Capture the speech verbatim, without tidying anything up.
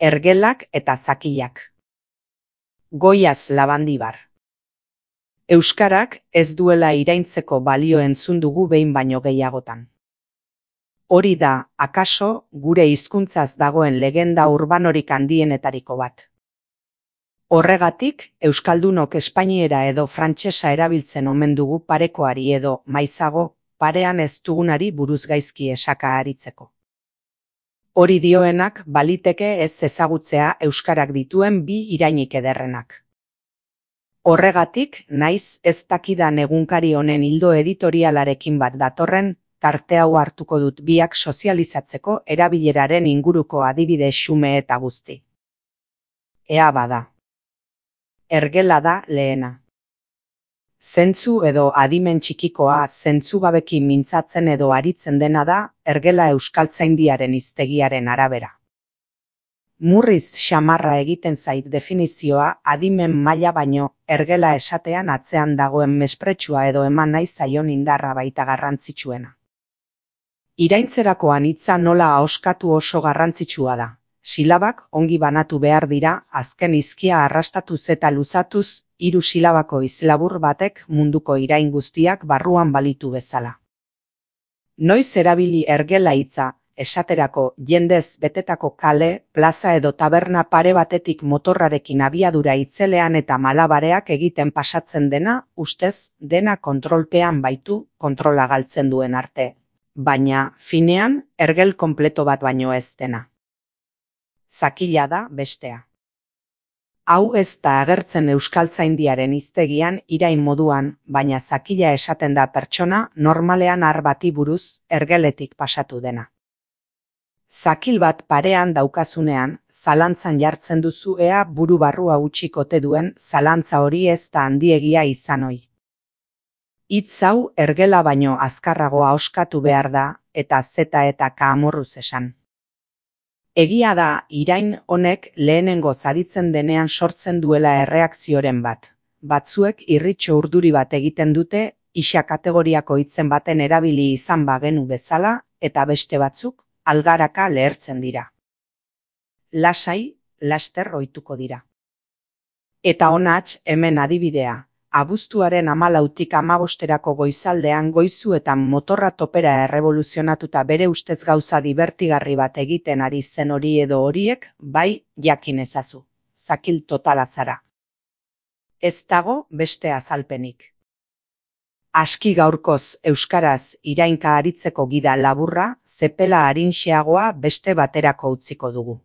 Ergelak eta zakilak. Goiaz Labandibar. Euskarak ez duela iraintzeko balio entzun dugu behin baino gehiagotan. Hori da, akaso, gure hizkuntzaz dagoen legenda urbanorik handienetariko bat. Horregatik, euskaldunok espainiera edo frantsesa erabiltzen omen dugu parekoari edo, maizago, parean ez dugunari buruz gaizki esaka aritzeko. Hori dioenak baliteke ez ezagutzea euskarak dituen bi irainik ederrenak. Horregatik, naiz ez dakidan egunkari honen ildo editorialarekin bat datorren, tarte hau hartuko dut biak sozializatzeko erabileraren inguruko adibide xume eta guzti. Ea bada. Ergela da lehena. Zentzu edo adimen txikikoa zentzugabeki mintzatzen edo aritzen dena da ergela euskaltzaindiaren hiztegiaren arabera. Murriz xamarra egiten zait definizioa adimen maila baino ergela esatean atzean dagoen mespretxua edo eman nahi zaion indarra baita garrantzitsuena. Iraintzerakoan hitza nola ahoskatu oso garrantzitsua da. Silabak ongi banatu behar dira, azken hizkia arrastatuz eta luzatuz, hiru silabako izlabur batek munduko irain guztiak barruan balitu bezala. Noiz erabili ergela hitza, esaterako jendez betetako kale, plaza edo taberna pare batetik motorrarekin abiadura itzelean eta malabareak egiten pasatzen dena, ustez dena kontrolpean baitu, kontrola galtzen duen arte. Baina, finean, ergel konpleto bat baino ez dena. Zakila da bestea. Hau ez da agertzen euskaltzaindiaren hiztegian irain moduan, baina zakila esaten da pertsona normalean har bati buruz ergeletik pasatu dena. Zakil bat parean daukazunean, zalantzan jartzen duzu ea buru barrua utxikote duen zalantza hori ez da handiegia izan ohi. Hitz hau ergela baino azkarragoa oskatu behar da, eta zeta eta ka amorruz esan. Egia da, irain honek lehenengo zaditzen denean sortzen duela erreakzioren bat. Batzuek irritxo urduri bat egiten dute, isa kategoriako hitzen baten erabili izan bagenu bezala, eta beste batzuk, algaraka lehertzen dira. Lasai, laster ohituko dira. Eta honatz hemen adibidea. Abuztuaren hamalautik hamabosterako goizaldean goizuetan motorra topera errevoluzionatuta bere ustez gauza dibertigarri bat egiten ari zen hori edo horiek, bai jakin ezazu. Zakil totala zara. Ez dago beste azalpenik. Aski gaurkoz euskaraz irainka aritzeko gida laburra, zepela arinxeagoa beste baterako utziko dugu.